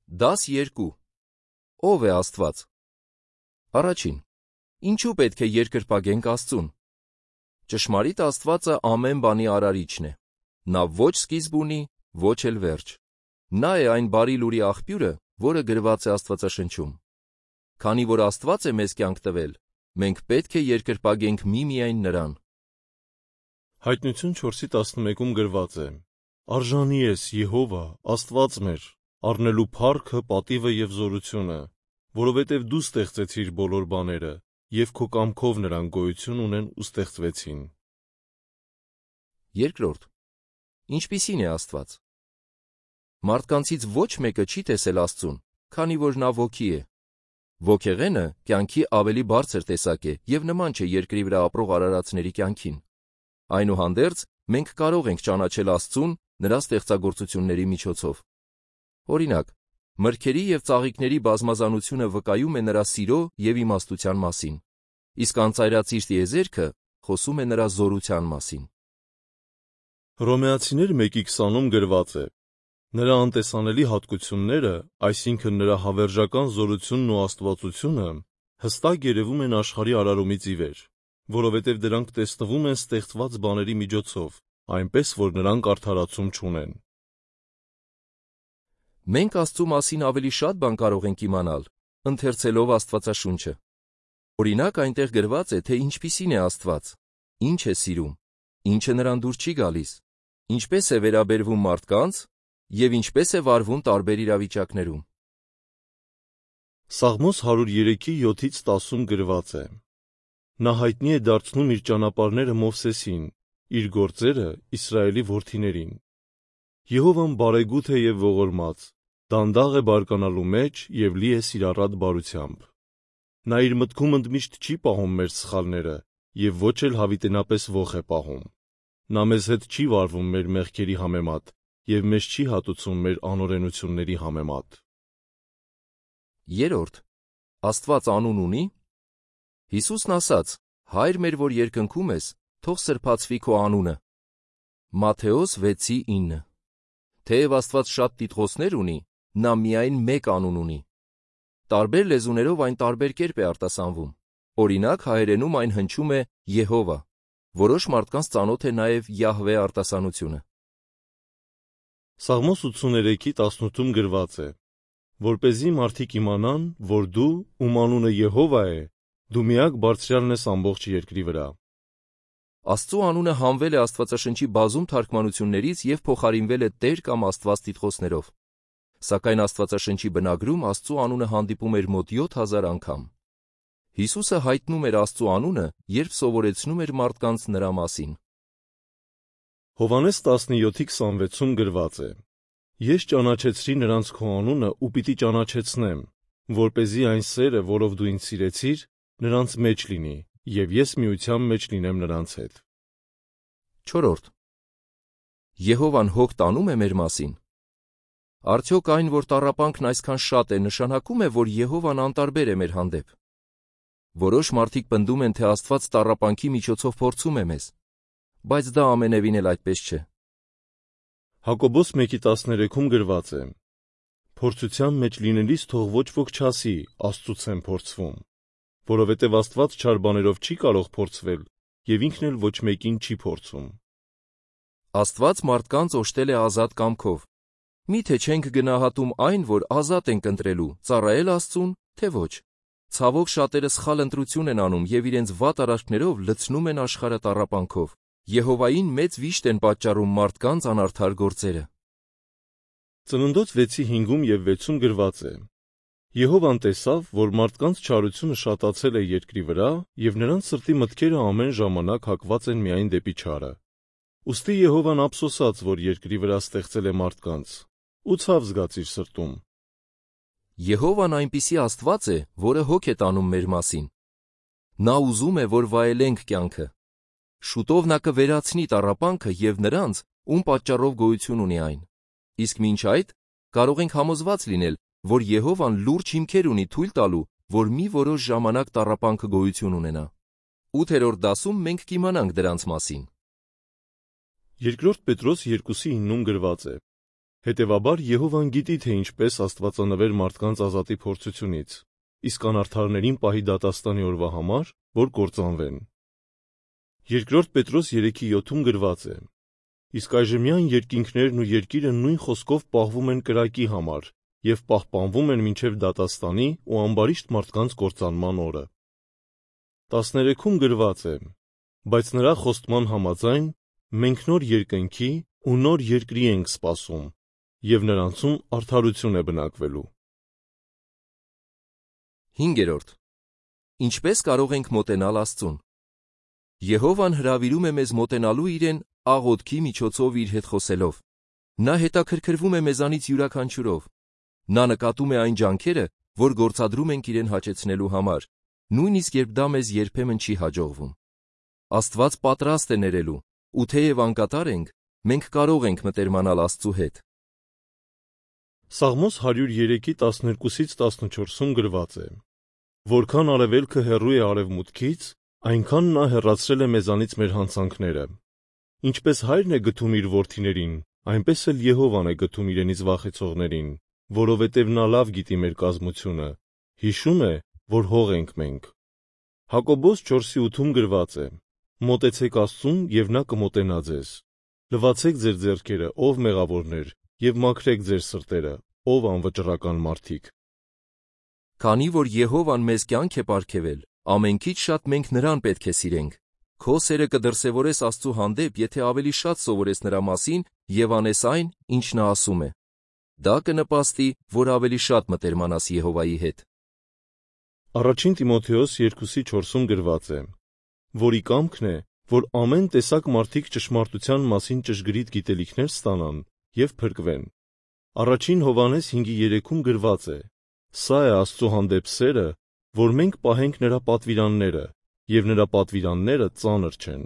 Դաս 2. Ո՞վ է Աստված։ Առաջին. ինչու պետք է երկրպագենք Աստծուն։ Ճշմարիտ Աստվածը ամեն բանի արարիչն է։ Նա ոչ սկիզբ ունի, ոչ էլ վերջ։ Նա է այն բարի լուրի աղբյուրը, որը գրված է Աստվածաշնչում։ Քանի որ Աստված է մեզ կյանք տվել, մենք պետք է երկրպագենք միմիայն նրան։ Հայտնություն 4:11-ում գրված է. Արժանի ես Եհովա, Աստված մեր, առնելու փառքը, պատիվը և զորությունը, որովհետև դու ստեղծեցիր բոլոր բաները, և քո կամքով նրանք գոյություն ունեն ու ստեղծվեցին։ Երկրորդ. ինչպիսին է Աստված։ Մարդկանցից ոչ մեկը չի տեսել Աստծուն, քանի որ նա ոգի է։ Ոգեղենը կյանքի ավելի բարձր տեսակ է և նման չէ երկրի վրա ապրող արարածների կյանքին։ Այնուհանդերձ, մենք կարող ենք ճանաչել Աստծուն նրա ստեղծագործությունների միջոցով։ Օրինակ, մրգերի և ծաղիկների բազմազանությունը վկայում է նրա սիրո և իմաստության մասին, իսկ անծայրածիր տիեզերքը խոսում է նրա զորության մասին։ Հռոմեացիներ 1:20-ում գրված է. նրա անտեսանելի հատկությունները, այսինքն նրա հավերժական զորությունն ու աստվածությունը, հստակ երևում են աշխարհի արարումից ի վեր, որովհետև դրանք տեսնվում են ստեղծված բաների միջոցով, այնպես որ նրանք արդարացում չունեն։ Մենք Աստծու մասին ավելի շատ բան կարող ենք իմանալ, ընթերցելով Աստվածաշունչը։ Օրինակ, այնտեղ գրված է, թե ինչպիսին է Աստված, ինչ է սիրում, ինչը նրան դուր չի գալիս, ինչպես է վերաբերվում մարդկանց և ինչպես է վարվում տարբեր իրավիճակներում։ Սաղմոս 103:7-10-ում գրված է. նա հայտնի է դարձնում իր ճանապարհները Մովսեսին, իր գործերը Իսրայելի որդիներին։ Եհովան բարեգութ է և ողորմած, դանդաղ է բարկանալու մեջ և լի է սիրառատ բարությամբ։ Նա իր մտքում ընդմիշտ չի պահում մեր սխալները և ոչ էլ հավիտենապես ոխ է պահում։ Նա մեզ հետ չի վարվում մեր մեղքերի համեմատ և մեզ չի հատուցում մեր անօրենությունների համեմատ։ Երրորդ. Աստված անուն ունի։ Հիսուսն ասաց. «Հայր մեր, որ երկնքում ես, թող սրբացվի քո անունը»։ Մատթեոս 6:9։ Թեև Աստված շատ տիտղոսներ ունի, նա միայն մեկ անուն ունի։ Տարբեր լեզուներով այն տարբեր կերպ է արտասանվում։ Օրինակ, հայերենում այն հնչում է Եհովա, որոշ մարդկանց ծանոթ է նաև Յահվե արտասանությունը։ Սաղմոս 83:18-ում գրված է. որպեսզի մարդիկ իմանան, որ դու, ում անունը Եհովա է, դու միակ բարձրյալն ես ամբողջ երկրի վրա։ Աստծու անունը հանվել է Աստվածաշնչի բազում թարգմանություններից և փոխարինվել է Տեր կամ Աստված տիտղոսներով։ Սակայն Աստվածաշնչի բնագրում Աստծու անունը հանդիպում էր մոտ 7000 անգամ։ Հիսուսը հայտնում էր Աստծու անունը, երբ սովորեցնում էր մարդկանց նրա մասին։ Հովհաննես 17:26-ում գրված է. Ես ճանաչեցրի նրանց քո անունը ու պիտի ճանաչեցնեմ, որպեսզի այն սերը, որով դու ինձ սիրեցիր, նրանց մեջ լինի, և ես միության մեջ լինեմ նրանց հետ։ Չորրորդ. Եհովան հոգ տանում է մեր մասին։ Արդյոք այն, որ տառապանքն այսքան շատ է, նշանակում է, որ Եհովան անտարբեր է մեր հանդեպ։ Որոշ մարդիկ պնդում են, թե Աստված տառապանքի միջոցով փորձում է մեզ, բայց դա ամենևին էլ այդպես չէ։ Հակոբոս 1:13-ում գրված է. փորձության մեջ լինելիս թող ոչ ոք չասի, Աստծուց եմ փորձվում, որովհետև Աստված չար բաներով չի կարող փորձվել և ինքն էլ ոչ մեկին չի փորձում։ Աստված մարդկանց օժտել է ազատ կամքով։ Մի՞թե չենք գնահատում այն, որ ազատ ենք ընտրելու, ծառայել Աստծուն, թե ոչ։ Ցավոք, շատերը սխալ ընտրություն են անում և իրենց վատ արարքներով լցնում են աշխարհը տառապանքով։ Եհովային մեծ վիշտ են պատճառում մարդկանց անարդար գործերը։ Ծննդոց 6:5 և 6-ում գրված է. Եհովան տեսավ, որ մարդկանց չարությունը շատացել է երկրի վրա և նրանց սրտի մտքերը ամեն ժամանակ հակված են միայն դեպի չարը։ Ուստի Եհովան ափսոսաց, որ երկրի վրա ստեղծել է մարդկանց, ու ցավ զգաց իր սրտում։ Եհովան այնպիսի Աստված է, որը հոգ է տանում մեր մասին։ Նա ուզում է, որ վայելենք կյանքը։ Շուտով նա կվերացնի տառապանքը և նրանց, ում պատճառով գոյություն ունի այն։ Իսկ մինչ այդ կարող ենք համոզված լինել, որ Եհովան լուրջ հիմքեր ունի թույլ տալու, որ մի որոշ ժամանակ տառապանքը գոյություն ունենա։ 8-րդ դասում մենք կիմանանք դրանց մասին։ 2 Պետրոս 2:9-ում գրված է. Հետևաբար Եհովան գիտի, թե ինչպես աստվածանվեր մարդկանց ազատի փորձությունից, իսկ անարդարներին պահի դատաստանի օրվա համար, որ կործանվեն։ 2 Պետրոս 3:7 գրված է. Իսկ այժմյան երկինքներն ու երկիրը նույն խոսքով պահվում են կրակի համար և պահպանվում են մինչև դատաստանի ու ամբարիշտ մարդկանց կործանման օրը։ 13-ում գրված է. բայց նրա խոստման համաձայն մենք նոր երկնքի ու նոր երկրի ենք սպասում, և նրանցում արդարություն է բնակվելու։ 5. Ինչպես կարող ենք մոտենալ Աստծուն։ Եհովան հրավիրում է մեզ մոտենալու իրեն աղոթքի միջոցով իր հետ խոսելով։ Նա հետաքրքրվում է մեզանից յուրաքանչյուրով։ Նա նկատում է այն ջանքերը, որ գործադրում ենք իրեն հաճեցնելու համար, նույնիսկ երբ դա մեզ երբեմն չի հաջողվում։ Աստված պատրաստ է ներելու, ու թեև անկատար ենք, մենք կարող ենք մտերմանալ Աստծու հետ։ Սաղմոս 103:12-14 գրված է. Որքան արևելքը հեռու է արևմուտքից, այնքան նա հեռացրել է մեզանից մեր հանցանքները։ Ինչպես հայրն է գթում իր որդիներին, այնպես էլ Եհովան է գթում իրենից վախեցողներին, որովհետև նա լավ գիտի մեր կազմությունը, հիշում է, որ հող ենք մենք։ Հակոբոս 4:8 գրված է. Մոտեցեք Աստծուն, և նա կմոտենա ձեզ։ Լվացեք ձեր ձեռքերը, ով մեղավորներ, և մաքրեք ձեր սրտերը, ով անվճռական մարդիկ։ Քանի որ Եհովան մեզ կյանք է պարգևել, ամենքից շատ մենք նրան պետք է սիրենք։ Քո սերը կդրսևորես Աստծու հանդեպ, եթե ավելի շատ սովորես նրա մասին և անես այն, ինչ նա ասում է։ Դա կնպաստի, որ ավելի շատ մտերմանաս Եհովայի հետ։ 1 Տիմոթեոս 2:4 գրված է. որի կամքն է, որ ամեն տեսակ մարդիկ ճշմարտության մասին ճշգրիտ գիտելիքներ ստանան և փրկվեն։ 1 Հովհաննես 5:3 գրված է. սա է Աստծու հանդեպ սերը, որ մենք պահենք նրա պատվիրանները, և նրա պատվիրանները ծանր չեն։